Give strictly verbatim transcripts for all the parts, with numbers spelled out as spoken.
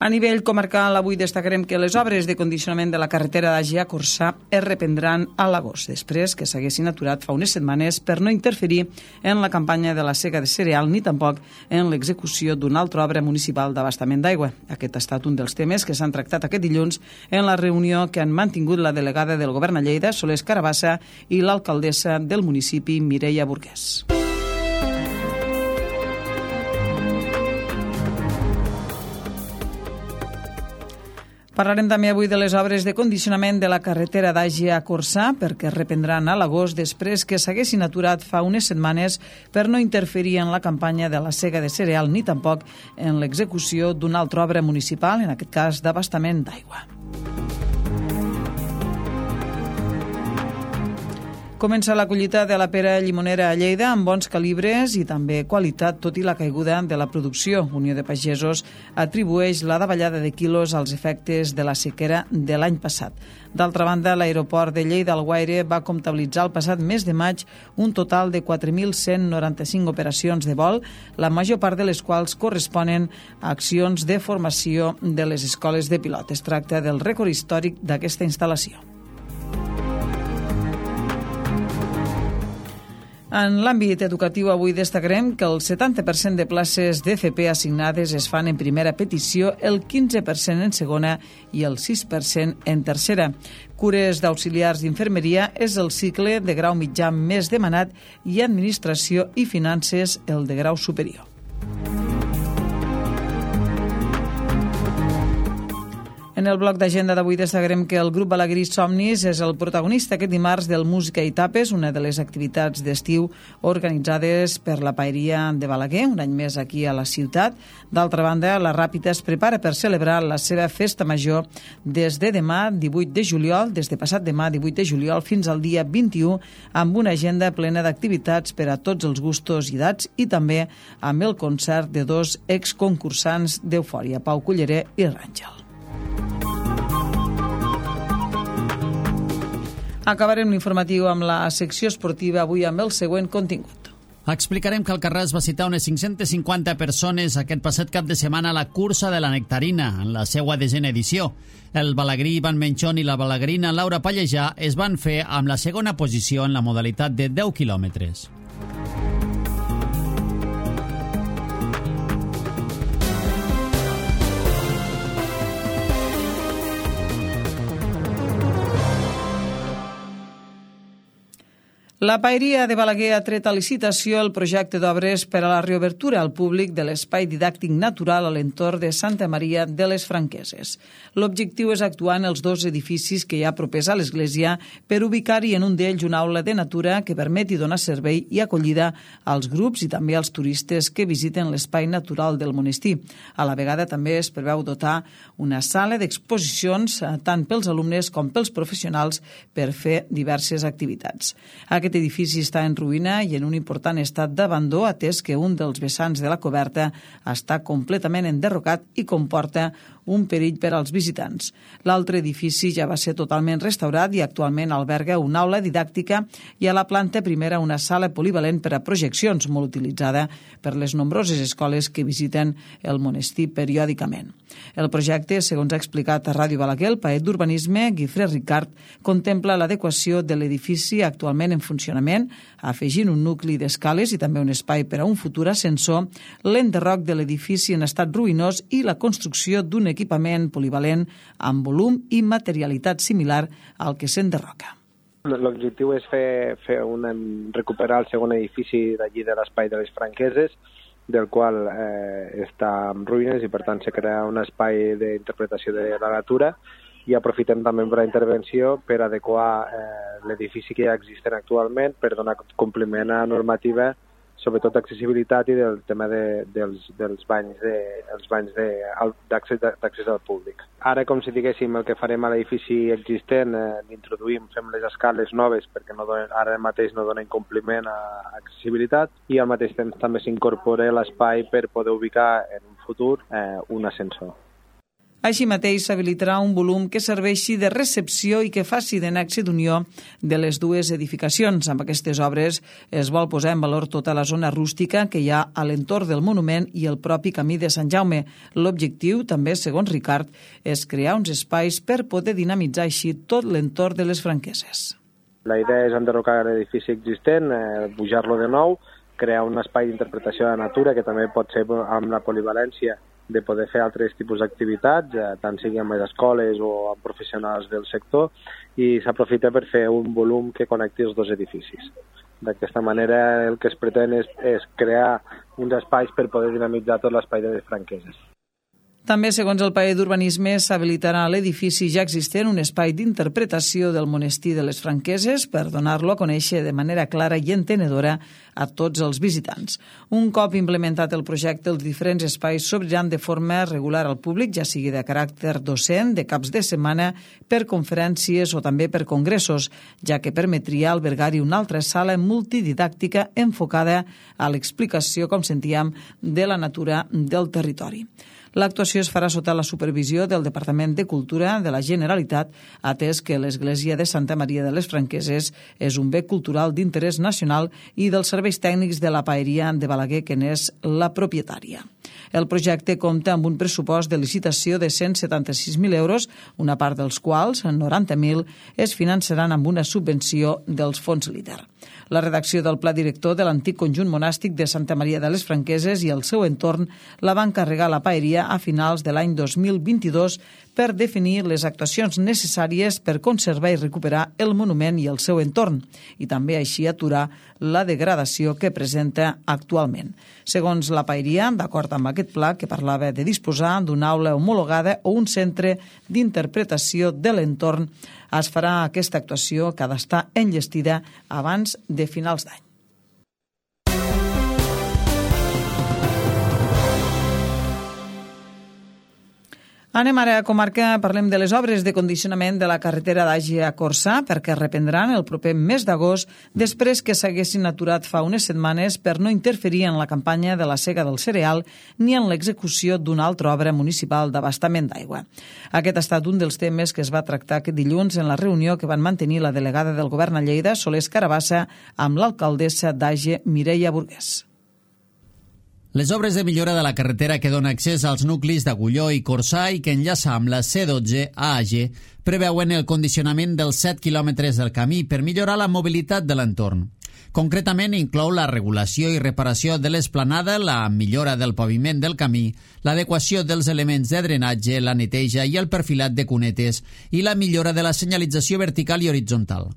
A nivell comarcal, avui destacarem que les obres de condicionament de la carretera d'Àgia a Corçà es reprendran a l'agost, després que s'haguessin aturat fa unes setmanes per no interferir en la campanya de la sega de cereal ni tampoc en l'execució d'una altra obra municipal d'abastament d'aigua. Aquest ha estat un dels temes que s'han tractat aquest dilluns en la reunió que han mantingut la delegada del Govern a Lleida, Soles Carabassa, i l'alcaldessa del municipi, Mireia Burguès. Parlarem també avui de les obres de condicionament de la carretera d'Àgia a Corçà, perquè es reprendran a l'agost després que s'haguessin aturat fa unes setmanes per no interferir en la campanya de la sega de cereal ni tampoc en l'execució d'una altra obra municipal, en aquest cas d'abastament d'aigua. Comença la collita de la pera llimonera a Lleida amb bons calibres i també qualitat, tot i la caiguda de la producció. Unió de Pagesos atribueix la davallada de quilos als efectes de la sequera de l'any passat. D'altra banda, l'aeroport de Lleida-Alguaire va comptabilitzar el passat mes de maig un total de quatre mil cent noranta-cinc operacions de vol, la major part de les quals corresponen a accions de formació de les escoles de pilot. Es tracta del rècord històric d'aquesta instal·lació. En l'àmbit educatiu, avui destacarem que el setanta per cent de places d'F P assignades es fan en primera petició, el quinze per cent en segona i el sis per cent en tercera. Cures d'auxiliars d'infermeria és el cicle de grau mitjà més demanat i administració i finances el de grau superior. En el bloc d'agenda d'avui destacarem que el grup Balaguerí Somnis és el protagonista aquest dimarts del Música i Tapes, una de les activitats d'estiu organitzades per la Paeria de Balaguer, un any més aquí a la ciutat. D'altra banda, la Ràpita es prepara per celebrar la seva festa major des de demà, divuit de juliol, des de passat demà, divuit de juliol, fins al dia vint-i-u, amb una agenda plena d'activitats per a tots els gustos i edats i també amb el concert de dos exconcursants d'Eufòria, Pau Culleré i Ràngel. Acabarem l'informatiu amb la secció esportiva avui amb el següent contingut. Explicarem que el Carràs va citar unes cinc-centes cinquanta persones aquest passat cap de setmana a la cursa de la Nectarina, en la seva desena edició. El balagrí Ivan Menchón i la balagrina Laura Pallejà es van fer amb la segona posició en la modalitat de deu quilòmetres. La Paeria de Balaguer ha tret a licitació el projecte d'obres per a la reobertura al públic de l'espai didàctic natural a l'entorn de Santa Maria de les Franqueses. L'objectiu és actuar en els dos edificis que hi ha propers a l'església per ubicar-hi en un d'ells una aula de natura que permeti donar servei i acollida als grups i també als turistes que visiten l'espai natural del monestir. A la vegada també es preveu dotar una sala d'exposicions tant pels alumnes com pels professionals per fer diverses activitats. Aquest Aquest edifici està en ruïna i en un important estat d'abandó, atès que un dels vessants de la coberta està completament enderrocat i comporta un perill per als visitants. L'altre edifici ja va ser totalment restaurat i actualment alberga una aula didàctica i a la planta primera una sala polivalent per a projeccions, molt utilitzada per les nombroses escoles que visiten el monestir periòdicament. El projecte, segons ha explicat a Ràdio Balaguer, el paet d'urbanisme, Guifré Ricard, contempla l'adequació de l'edifici actualment en funcionament, afegint un nucli d'escales i també un espai per a un futur ascensor, l'enderroc de l'edifici en estat ruïnós i la construcció d'un equipament polivalent amb volum i materialitat similar al que s'enderroca. L'objectiu és fer, fer una, recuperar el segon edifici d'allí de l'espai de les Franqueses, del qual eh, està en ruïnes i per tant se crea un espai d'interpretació de la natura i aprofitem també per la intervenció per adequar eh, l'edifici que ja existent actualment per donar compliment a la normativa, sobretot d'accessibilitat i del tema de, dels, dels banys de, els banys d'accés al públic. Ara, com si diguéssim, el que farem a l'edifici existent, eh, introduïm, fem les escales noves perquè no donen, ara mateix no donen compliment a accessibilitat i al mateix temps també s'incorpora l'espai per poder ubicar en un futur eh, un ascensor. Així mateix, s'habilitarà un volum que serveixi de recepció i que faci de nexe d'unió de les dues edificacions. Amb aquestes obres es vol posar en valor tota la zona rústica que hi ha a l'entorn del monument i el propi camí de Sant Jaume. L'objectiu, també, segons Ricard, és crear uns espais per poder dinamitzar així tot l'entorn de les Franqueses. La idea és enderrocar l'edifici existent, eh, pujar-lo de nou, crear un espai d'interpretació de la natura que també pot ser amb la polivalència de poder fer altres tipus d'activitats, eh, tant sigui amb les escoles o amb professionals del sector, i s'aprofita per fer un volum que connecti els dos edificis. D'aquesta manera el que es pretén és, és crear uns espais per poder dinamitzar tot l'espai de les Franqueses. També, segons el Paer d'Urbanisme, s'habilitarà a l'edifici ja existent un espai d'interpretació del monestir de les Franqueses per donar-lo a conèixer de manera clara i entenedora a tots els visitants. Un cop implementat el projecte, els diferents espais s'obriran de forma regular al públic, ja sigui de caràcter docent, de caps de setmana, per conferències o també per congressos, ja que permetria albergar-hi una altra sala multididàctica enfocada a l'explicació, com sentíem, de la natura del territori. L'actuació es farà sota la supervisió del Departament de Cultura de la Generalitat, atès que l'Església de Santa Maria de les Franqueses és un bé cultural d'interès nacional i dels serveis tècnics de la Paeria de Balaguer, que n'és la propietària. El projecte compta amb un pressupost de licitació de cent setanta-sis mil euros, una part dels quals, noranta mil, es finançaran amb una subvenció dels fons líder. La redacció del pla director de l'antic conjunt monàstic de Santa Maria de les Franqueses i el seu entorn la va encarregar la Paeria a finals de l'any dos mil vint-i-dos per definir les actuacions necessàries per conservar i recuperar el monument i el seu entorn, i també així aturar la degradació que presenta actualment. Segons la Paeria, d'acord amb aquest pla que parlava de disposar d'una aula homologada o un centre d'interpretació de l'entorn, es farà aquesta actuació que ha d'estar enllestida abans de finals d'any. Anem ara a comarca, parlem de les obres de condicionament de la carretera d'Àger a Corçà, perquè reprendran el proper mes d'agost, després que s'haguessin aturat fa unes setmanes per no interferir en la campanya de la sega del cereal ni en l'execució d'una altra obra municipal d'abastament d'aigua. Aquest ha estat un dels temes que es va tractar aquest dilluns en la reunió que van mantenir la delegada del govern a Lleida, Solés Carabassa, amb l'alcaldessa d'Àger, Mireia Burgués. Les obres de millora de la carretera que dona accés als nuclis d'Agulló i Corçà i que enllaça amb la C dotze a Àger preveuen el condicionament dels set quilòmetres del camí per millorar la mobilitat de l'entorn. Concretament, inclou la regulació i reparació de l'esplanada, la millora del paviment del camí, l'adequació dels elements de drenatge, la neteja i el perfilat de cunetes i la millora de la senyalització vertical i horitzontal.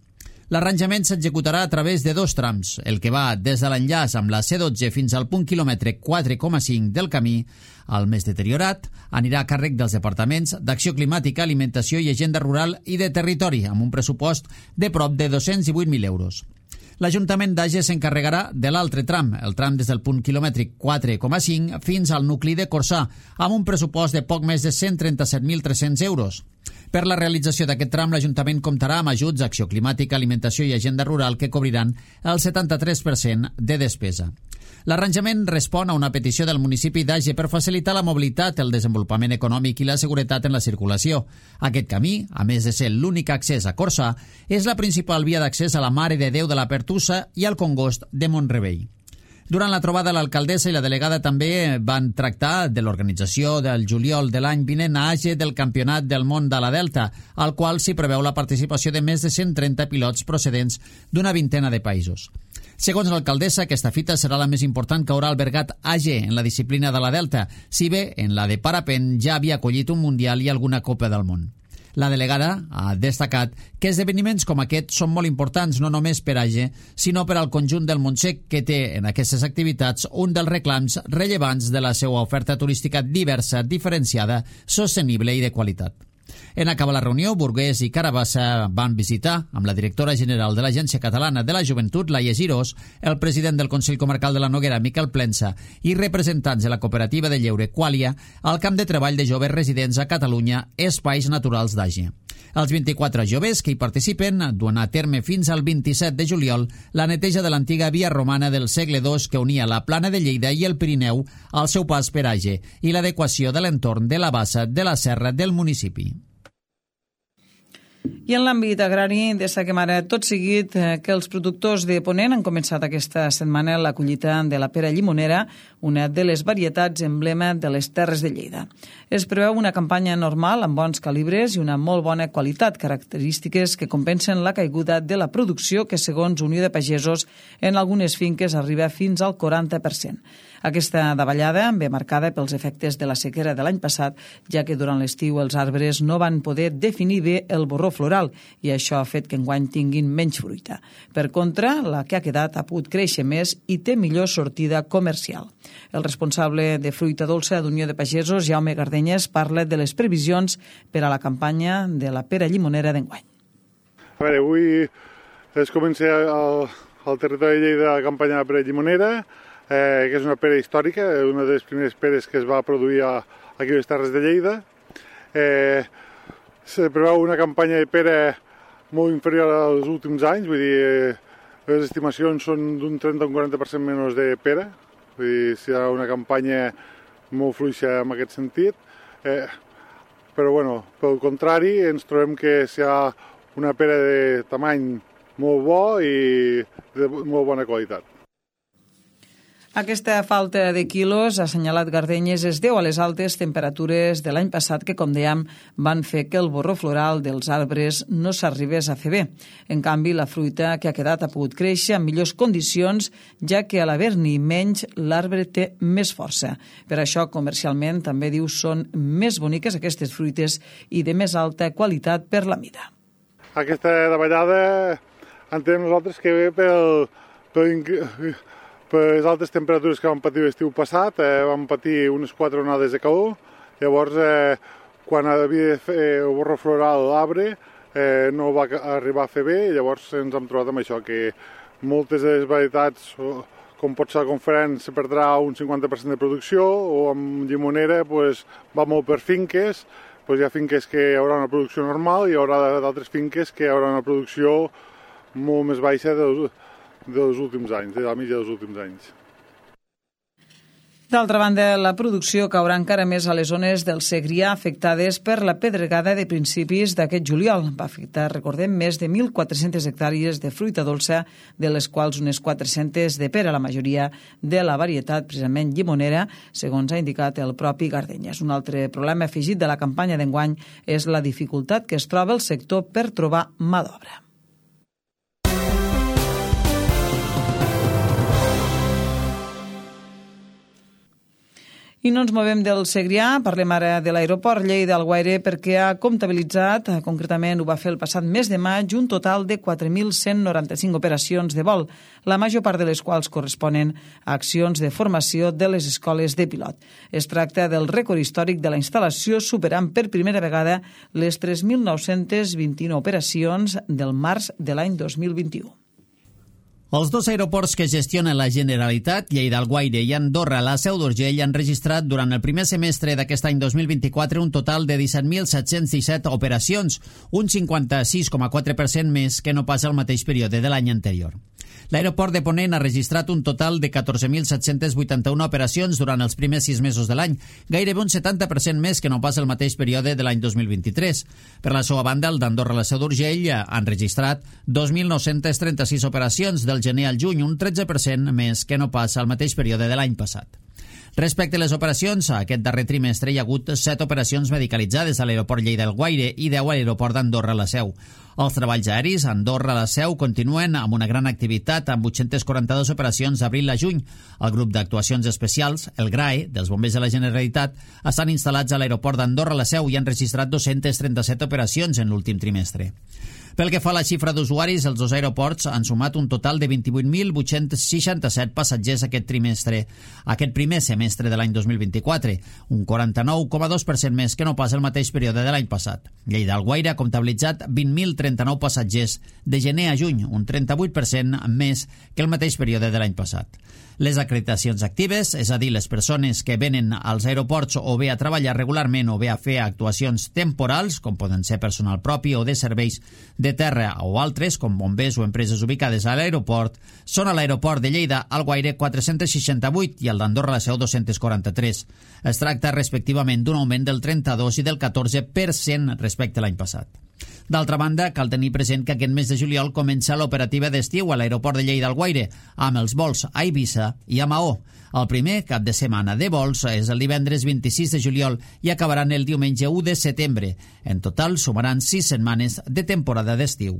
L'arranjament s'executarà a través de dos trams, el que va des de l'enllaç amb la C dotze fins al punt quilòmetre quatre coma cinc del camí. El més deteriorat anirà a càrrec dels departaments d'Acció Climàtica, Alimentació i Agenda Rural i de Territori, amb un pressupost de prop de dos-cents divuit mil euros. L'Ajuntament d'Àger s'encarregarà de l'altre tram, el tram des del punt quilòmetre quatre coma cinc fins al nucli de Corçà, amb un pressupost de poc més de cent trenta-set mil tres-cents euros. Per la realització d'aquest tram, l'Ajuntament comptarà amb ajuts d'Acció Climàtica, Alimentació i Agenda Rural que cobriran el setanta-tres per cent de despesa. L'arranjament respon a una petició del municipi d'Àger per facilitar la mobilitat, el desenvolupament econòmic i la seguretat en la circulació. Aquest camí, a més de ser l'únic accés a Corçà, és la principal via d'accés a la Mare de Déu de la Pertussa i al Congost de Mont-rebei. Durant la trobada, l'alcaldessa i la delegada també van tractar de l'organització del juliol de l'any vinent a Àger del Campionat del Món de la Delta, al qual s'hi preveu la participació de més de cent trenta pilots procedents d'una vintena de països. Segons l'alcaldessa, aquesta fita serà la més important que haurà albergat Àger en la disciplina de la Delta, si bé en la de parapent ja havia acollit un Mundial i alguna Copa del Món. La delegada ha destacat que esdeveniments com aquest són molt importants no només per Àger, sinó per al conjunt del Montsec, que té en aquestes activitats un dels reclams rellevants de la seva oferta turística diversa, diferenciada, sostenible i de qualitat. En acabar la reunió, Burgués i Carabassa van visitar, amb la directora general de l'Agència Catalana de la Joventut, Laia Girós, el president del Consell Comarcal de la Noguera, Miquel Plensa, i representants de la cooperativa de lleure Quàlia, al camp de treball de joves residents a Catalunya, Espais Naturals d'Àger. Els vint-i-quatre joves que hi participen duen a terme fins al vint-i-set de juliol la neteja de l'antiga via romana del segle dos que unia la Plana de Lleida i el Pirineu al seu pas per Age i l'adequació de l'entorn de la bassa de la serra del municipi. I en l'àmbit agrari, destaquem ara tot seguit que els productors de Ponent han començat aquesta setmana la collita de la pera llimonera, una de les varietats emblema de les Terres de Lleida. Es preveu una campanya normal amb bons calibres i una molt bona qualitat, característiques que compensen la caiguda de la producció que, segons Unió de Pagesos, en algunes finques arriba fins al quaranta per cent. Aquesta davallada ve marcada pels efectes de la sequera de l'any passat, ja que durant l'estiu els arbres no van poder definir bé el borró floral i això ha fet que enguany tinguin menys fruita. Per contra, la que ha quedat ha pogut créixer més i té millor sortida comercial. El responsable de fruita dolça d'Unió de Pagesos, Jaume Gardenyes, parla de les previsions per a la campanya de la pera llimonera d'enguany. A veure, avui es comença al, al territori de Lleida la campanya de la pera llimonera, Eh, que és una pera històrica, una de les primeres peres que es va produir a, aquí a les Terres de Lleida. Eh, se preveu una campanya de pera molt inferior als últims anys, vull dir, eh, les estimacions són d'un trenta a un quaranta per cent menys de pera, vull dir, serà una campanya molt fluixa en aquest sentit, eh, però bueno, pel contrari ens trobem que serà una pera de tamany molt bo i de molt bona qualitat. Aquesta falta de quilos, ha assenyalat Gardenyes, es deu a les altes temperatures de l'any passat que, com dèiem, van fer que el borró floral dels arbres no s'arribés a fer bé. En canvi, la fruita que ha quedat ha pogut créixer en millors condicions, ja que a l'haver-n'hi menys, l'arbre té més força. Per això, comercialment, també diu, són més boniques aquestes fruites i de més alta qualitat per la mida. Aquesta davallada entenem nosaltres que ve pel... pel per les altes temperatures que vam patir l'estiu passat, eh, vam patir unes quatre onades de calor, llavors eh, quan havia de fer el borró floral a l'arbre eh, no va arribar a fer bé, i llavors ens hem trobat amb això, que moltes de les varietats, com pot ser la conferència, se perdrà un cinquanta per cent de producció, o amb llimonera pues, va molt per finques, pues hi ha finques que hi haurà una producció normal i hi haurà d'altres finques que hi haurà una producció molt més baixa dels dels últims anys, de la mitja dels últims anys. D'altra banda, la producció caurà encara més a les zones del Segrià afectades per la pedregada de principis d'aquest juliol. Va afectar, recordem, més de mil quatre-centes hectàrees de fruita dolça, de les quals unes quatre-centes de pera, la majoria de la varietat precisament llimonera, segons ha indicat el propi Gardenyes. Un altre problema afegit de la campanya d'enguany és la dificultat que es troba el sector per trobar mà d'obra. I no ens movem del Segrià, parlem ara de l'aeroport Lleida-Alguaire perquè ha comptabilitzat, concretament ho va fer el passat mes de maig, un total de quatre mil cent noranta-cinc operacions de vol, la major part de les quals corresponen a accions de formació de les escoles de pilot. Es tracta del rècord històric de la instal·lació, superant per primera vegada les tres mil nou-cents vint-i-nou operacions del març de l'any dos mil vint-i-u. Els dos aeroports que gestiona la Generalitat, Lleida-Alguaire i Andorra, la Seu d'Urgell, han registrat durant el primer semestre d'aquest any dos mil vint-i-quatre un total de disset mil set-cents disset operacions, un cinquanta-sis coma quatre per cent més que no passa el mateix període de l'any anterior. L'aeroport de Ponent ha registrat un total de catorze mil set-cents vuitanta-una operacions durant els primers sis mesos de l'any, gairebé un setanta per cent més que no passa el mateix període de l'any dos mil vint-i-tres. Per la seva banda, el d'Andorra i la Seu d'Urgell han registrat dos mil nou-cents trenta-sis operacions del gener al juny, un tretze per cent més que no passa al mateix període de l'any passat. Respecte a les operacions, aquest darrer trimestre hi ha hagut set operacions medicalitzades a l'aeroport Lleida-Alguaire i deu a l'aeroport d'Andorra-la Seu. Els treballs aeris a Andorra-la Seu continuen amb una gran activitat, amb vuit-centes quaranta-dues operacions d'abril a juny. El grup d'actuacions especials, el GRAE, dels bombers de la Generalitat, estan instal·lats a l'aeroport d'Andorra-la Seu i han registrat dos-centes trenta-set operacions en l'últim trimestre. Pel que fa a la xifra d'usuaris, els dos aeroports han sumat un total de vint-i-vuit mil vuit-cents seixanta-set passatgers aquest trimestre, aquest primer semestre de l'any dos mil vint-i-quatre, un quaranta-nou coma dos per cent més que no pas el mateix període de l'any passat. Lleida-Alguaire ha comptabilitzat vint mil trenta-nou passatgers de gener a juny, un trenta-vuit per cent més que el mateix període de l'any passat. Les acreditacions actives, és a dir, les persones que venen als aeroports o bé a treballar regularment o bé a fer actuacions temporals, com poden ser personal propi o de serveis de terra o altres, com bombers o empreses ubicades a l'aeroport, són a l'aeroport de Lleida, Alguaire, quatre-cents seixanta-vuit i al d'Andorra, la Seu, dos-cents quaranta-tres. Es tracta respectivament d'un augment del trenta-dos i del catorze per cent respecte a l'any passat. D'altra banda, cal tenir present que aquest mes de juliol comença l'operativa d'estiu a l'aeroport de Lleida-Alguaire, amb els vols a Eivissa i a Maó. El primer cap de setmana de vols és el divendres vint-i-sis de juliol i acabaran el diumenge u de setembre. En total, sumaran sis setmanes de temporada d'estiu.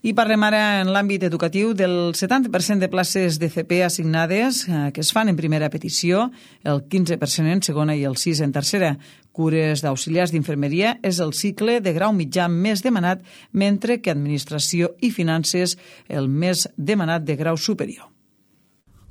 I parlem ara en l'àmbit educatiu del setanta per cent de places de C P assignades eh, que es fan en primera petició, el quinze per cent en segona i el sis per cent en tercera. Cures d'auxiliars d'infermeria és el cicle de grau mitjà més demanat, mentre que administració i finances el més demanat de grau superior.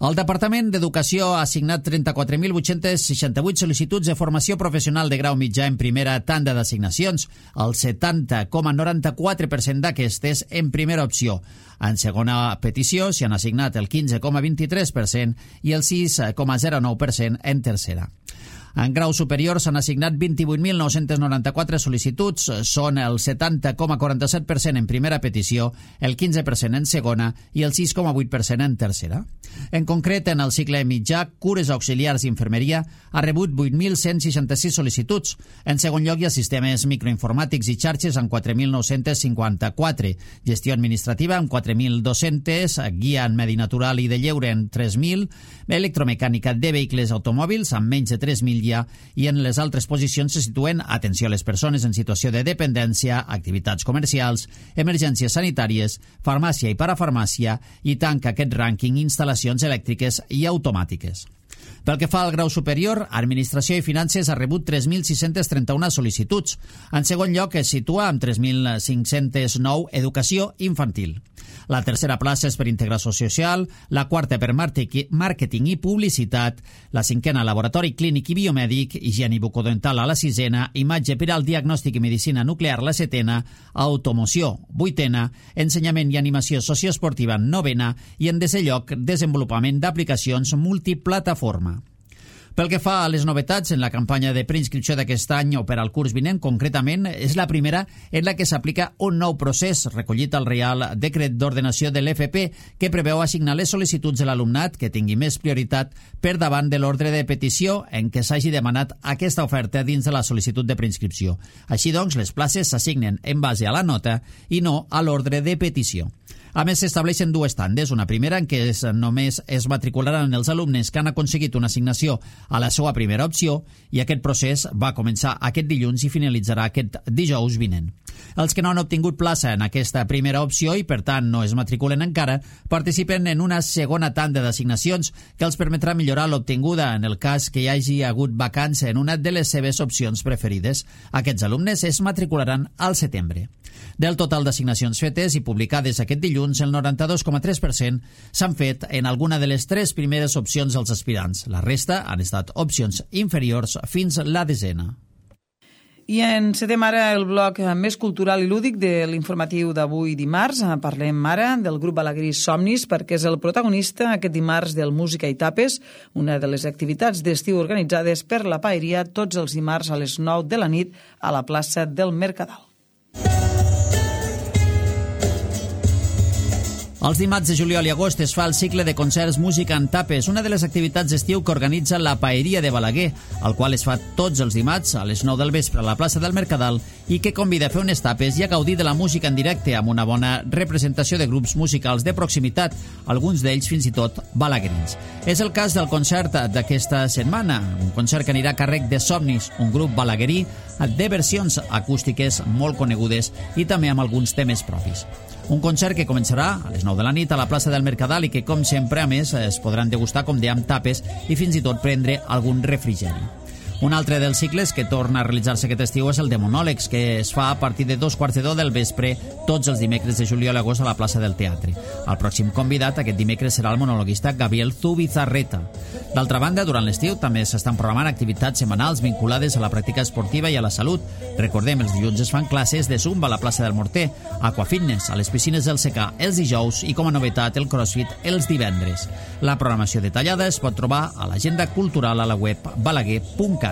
El Departament d'Educació ha assignat trenta-quatre mil vuit-cents seixanta-vuit sol·licituds de formació professional de grau mitjà en primera tanda d'assignacions, el setanta coma noranta-quatre per cent d'aquestes en primera opció. En segona petició s'hi han assignat el quinze coma vint-i-tres per cent i el sis coma zero nou per cent en tercera. En grau superior s'han assignat vint-i-vuit mil nou-cents noranta-quatre sol·licituds, són el setanta coma quaranta-set per cent en primera petició, el quinze per cent en segona i el sis coma vuit per cent en tercera. En concret, en el cicle mitjà, Cures Auxiliars d'Infermeria ha rebut vuit mil cent seixanta-sis sol·licituds. En segon lloc hi ha Sistemes Microinformàtics i Xarxes amb quatre mil nou-cents cinquanta-quatre, Gestió Administrativa amb quatre mil dos-cents, Guia en Medi Natural i de Lleure en tres mil, Electromecànica de Vehicles Automòbils amb menys de tres mil i en les altres posicions se situen atenció a les persones en situació de dependència, activitats comercials, emergències sanitàries, farmàcia i parafarmàcia i tanca aquest rànquing instal·lacions elèctriques i automàtiques. Pel que fa al grau superior, Administració i Finances ha rebut tres mil sis-cents trenta-u sol·licituds. En segon lloc es situa amb tres mil cinc-cents nou Educació Infantil. La tercera plaça és per Integració Social, la quarta per Màrqueting i Publicitat, la cinquena Laboratori Clínic i Biomèdic, Higiene i Bucodental a la sisena, Imatge per al Diagnòstic i Medicina Nuclear la setena, Automoció vuitena, Ensenyament i Animació Socioesportiva novena i en desè lloc Desenvolupament d'aplicacions multiplataforma. Pel que fa a les novetats en la campanya de preinscripció d'aquest any o per al curs vinent, concretament, és la primera en la que s'aplica un nou procés recollit al Reial Decret d'Ordenació de l'F P que preveu assignar les sol·licituds de l'alumnat que tingui més prioritat per davant de l'ordre de petició en què s'hagi demanat aquesta oferta dins de la sol·licitud de preinscripció. Així doncs, les places s'assignen en base a la nota i no a l'ordre de petició. A més, s'estableixen dues tandes, una primera en què es, només es matricularan els alumnes que han aconseguit una assignació a la seva primera opció i aquest procés va començar aquest dilluns i finalitzarà aquest dijous vinent. Els que no han obtingut plaça en aquesta primera opció i per tant no es matriculen encara, participen en una segona tanda d'assignacions que els permetrà millorar l'obtinguda en el cas que hi hagi hagut vacància en una de les seves opcions preferides. Aquests alumnes es matricularan al setembre. Del total d'assignacions fetes i publicades aquest dilluns, el noranta-dos coma tres per cent s'han fet en alguna de les tres primeres opcions dels aspirants. La resta han estat opcions inferiors fins a la desena. I encetem ara el bloc més cultural i lúdic de l'informatiu d'avui dimarts. Parlem ara del grup Balaguerí Somnis perquè és el protagonista aquest dimarts del Música i Tapes, una de les activitats d'estiu organitzades per la Paeria tots els dimarts a les nou de la nit a la plaça del Mercadal. Els dimarts de juliol i agost es fa el cicle de concerts Música en Tapes, una de les activitats d'estiu que organitza la Paeria de Balaguer, el qual es fa tots els dimarts a les nou del vespre a la plaça del Mercadal i que convida a fer unes tapes i a gaudir de la música en directe amb una bona representació de grups musicals de proximitat, alguns d'ells fins i tot balaguerins. És el cas del concert d'aquesta setmana, un concert que anirà a càrrec de Somnis, un grup balaguerí de versions acústiques molt conegudes i també amb alguns temes propis. Un concert que començarà a les nou de la nit a la plaça del Mercadal i que, com sempre, a més, es podran degustar, com dèiem, tapes i fins i tot prendre algun refrigeri. Un altre dels cicles que torna a realitzar-se aquest estiu és el de monòlegs, que es fa a partir de dos quarts de deu del vespre tots els dimecres de juliol i agost a la plaça del Teatre. El pròxim convidat aquest dimecres serà el monologuista Gabriel Zubizarreta. D'altra banda, durant l'estiu també s'estan programant activitats setmanals vinculades a la pràctica esportiva i a la salut. Recordem, els dilluns es fan classes de zumba a la plaça del Morter, aquafitness a les piscines del Secà els dijous i, com a novetat, el crossfit els divendres. La programació detallada es pot trobar a l'agenda cultural a la web balaguer punt cat.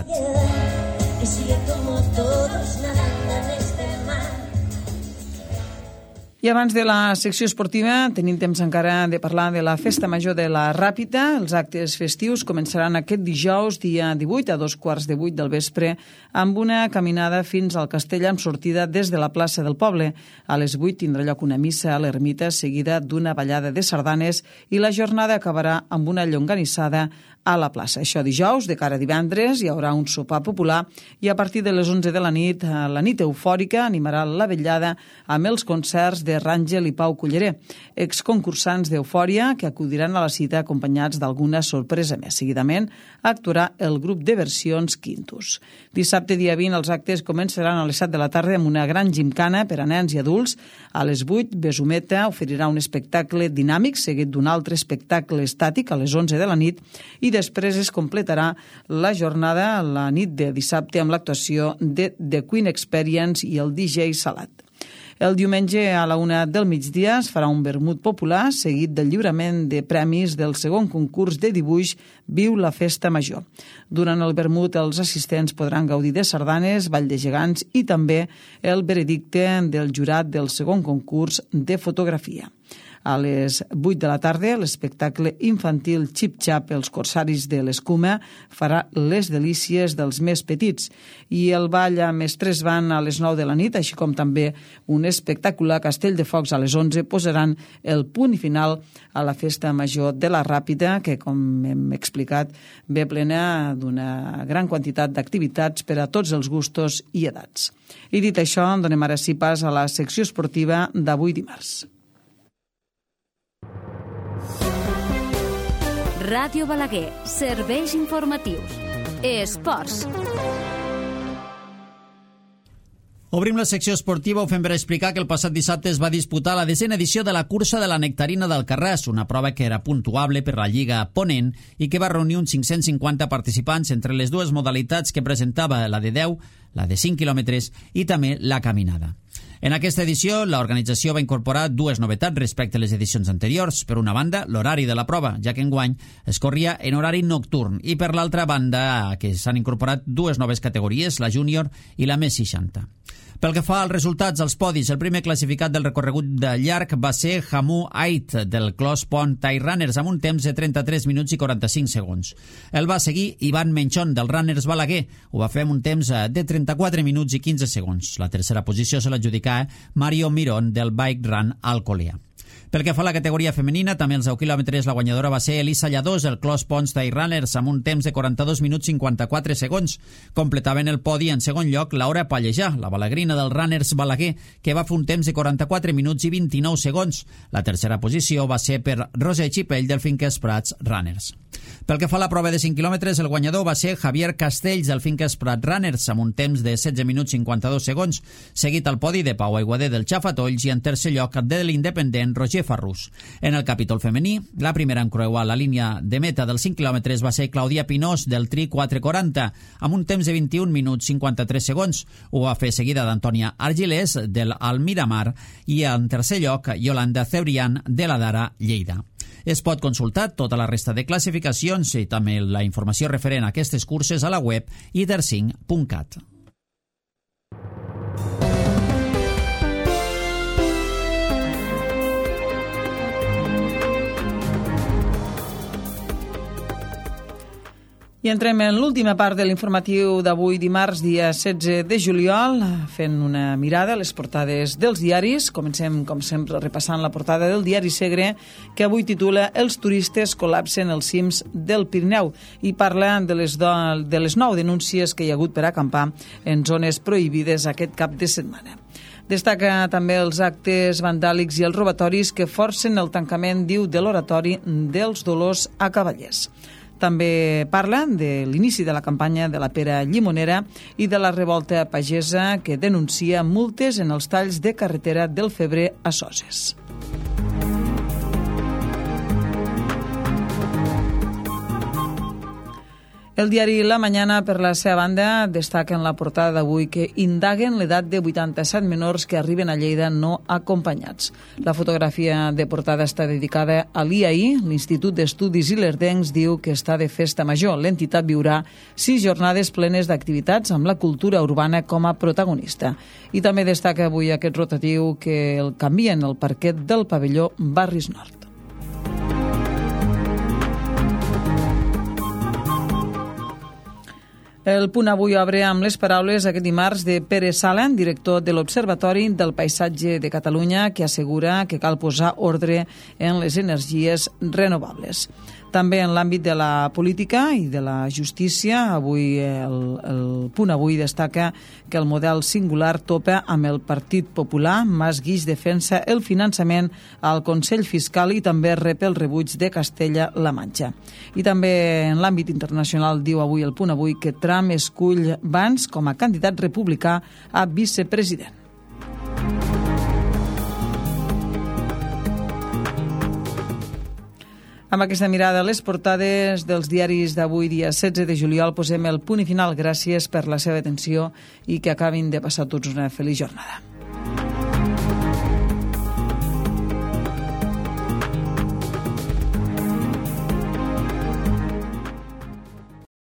I abans de la secció esportiva tenim temps encara de parlar de la Festa Major de la Ràpita. Els actes festius començaran aquest dijous, dia divuit, a dos quarts de vuit del vespre, amb una caminada fins al castell amb sortida des de la plaça del poble. A les vuit tindrà lloc una missa a l'ermita seguida d'una ballada de sardanes i la jornada acabarà amb una llonganissada a la plaça. Això dijous, de cara a divendres, hi haurà un sopar popular i a partir de les onze de la nit, la nit eufòrica animarà la vetllada amb els concerts de Ràngel i Pau Culleré, exconcursants d'Eufòria que acudiran a la cita acompanyats d'alguna sorpresa més. Seguidament actuarà el grup de versions Quintus. Dissabte, dia vint, els actes començaran a les set de la tarda amb una gran gimcana per a nens i adults. A les vuit, Besumeta oferirà un espectacle dinàmic seguit d'un altre espectacle estàtic a les onze de la nit i després es completarà la jornada la nit de dissabte amb l'actuació de The Queen Experience i el D J Salat. El diumenge a la una del migdia es farà un vermut popular seguit del lliurament de premis del segon concurs de dibuix Viu la Festa Major. Durant el vermut els assistents podran gaudir de sardanes, ball de gegants i també el veredicte del jurat del segon concurs de fotografia. A les vuit de la tarda, l'espectacle infantil Xip Xap, els corsaris de l'escuma, farà les delícies dels més petits. I el ball amb Mestres Van a les nou de la nit, així com també un espectacular Castell de Focs a les onze, posaran el punt final a la Festa Major de la Ràpita, que, com hem explicat, ve plena d'una gran quantitat d'activitats per a tots els gustos i edats. I dit això, donem ara sí pas a la secció esportiva d'avui dimarts. Ràdio Balaguer, serveis informatius. Esports. Obrim la secció esportiva, ho fem per explicar que el passat dissabte es va disputar la desena edició de la cursa de la Nectarina d'Alcarràs, una prova que era puntuable per la Lliga Ponent i que va reunir uns cinc-cents cinquanta participants entre les dues modalitats que presentava, la de deu, la de cinc quilòmetres i també la caminada. En aquesta edició, l'organització va incorporar dues novetats respecte a les edicions anteriors. Per una banda, l'horari de la prova, ja que enguany es corria en horari nocturn, i per l'altra banda, que s'han incorporat dues noves categories, la júnior i la més seixanta. Pel que fa als resultats, als podis, el primer classificat del recorregut de llarg va ser Hamu Ait, del Clos Pont Tire Runners, amb un temps de trenta-tres minuts i quaranta-cinc segons. El va seguir Ivan Menchon, del Runners Balaguer. Ho va fer amb un temps de trenta-quatre minuts i quinze segons. La tercera posició se l'adjudicà Mario Mirón, del Bike Run Alcolea. Pel que fa a la categoria femenina, també els deu quilòmetres la guanyadora va ser Elisa Lladós, el Clos Ponts Tire Runners, amb un temps de quaranta-dos minuts i cinquanta-quatre segons. Completaven el podi en segon lloc Laura Pallejà, la balagrina del Runners Balaguer, que va fer un temps de quaranta-quatre minuts i vint-i-nou segons. La tercera posició va ser per Roser Xipell, del Finques Prats Runners. Pel que fa a la prova de cinc quilòmetres, el guanyador va ser Javier Castells, del Finques Prat Runners, amb un temps de setze minuts i cinquanta-dos segons, seguit al podi de Pau Aiguader del Xafatolls i en tercer lloc de l'independent Roger Farrús. En el capítol femení, la primera en creuar la línia de meta dels cinc quilòmetres va ser Clàudia Pinós, del Tri quatre quaranta, amb un temps de vint-i-un minuts cinquanta-tres segons. Ho va fer seguida d'Antònia Argilés, del Almiramar, i en tercer lloc Yolanda Cebrián, de la Dara Lleida. Es pot consultar tota la resta de classificacions i també la informació referent a aquestes curses a la web i der cinc punt cat. I entrem en l'última part de l'informatiu d'avui dimarts, dia setze de juliol, fent una mirada a les portades dels diaris. Comencem, com sempre, repassant la portada del diari Segre, que avui titula Els turistes col·lapsen els cims del Pirineu i parla de les, do, de les nou denúncies que hi ha hagut per acampar en zones prohibides aquest cap de setmana. Destaca també els actes vandàlics i els robatoris que forcen el tancament, diu, de l'oratori dels Dolors a Cavallers. També parla de l'inici de la campanya de la pera llimonera i de la revolta pagesa que denuncia multes en els talls de carretera del febrer a Soses. El diari La Mañana, per la seva banda, destaca en la portada d'avui que indaguen l'edat de vuitanta-set menors que arriben a Lleida no acompanyats. La fotografia de portada està dedicada a l'I A I, l'Institut d'Estudis Ilerdencs diu que està de festa major. L'entitat viurà sis jornades plenes d'activitats amb la cultura urbana com a protagonista. I també destaca avui aquest rotatiu que el canvien el parquet del pavelló Barris Nord. El Punt Avui obre amb les paraules aquest dimarts de Pere Sala, director de l'Observatori del Paisatge de Catalunya, que assegura que cal posar ordre en les energies renovables. També en l'àmbit de la política i de la justícia, avui el, el Punt Avui destaca que el model singular topa amb el Partit Popular. Mas Guix defensa el finançament al Consell Fiscal i també rep el rebuig de Castella-La Manxa. I també en l'àmbit internacional diu avui el Punt Avui que Trump escull Vance com a candidat republicà a vicepresident. Amb aquesta mirada a les portades dels diaris d'avui, dia setze de juliol, posem el punt i final. Gràcies per la seva atenció i que acabin de passar tots una feliç jornada.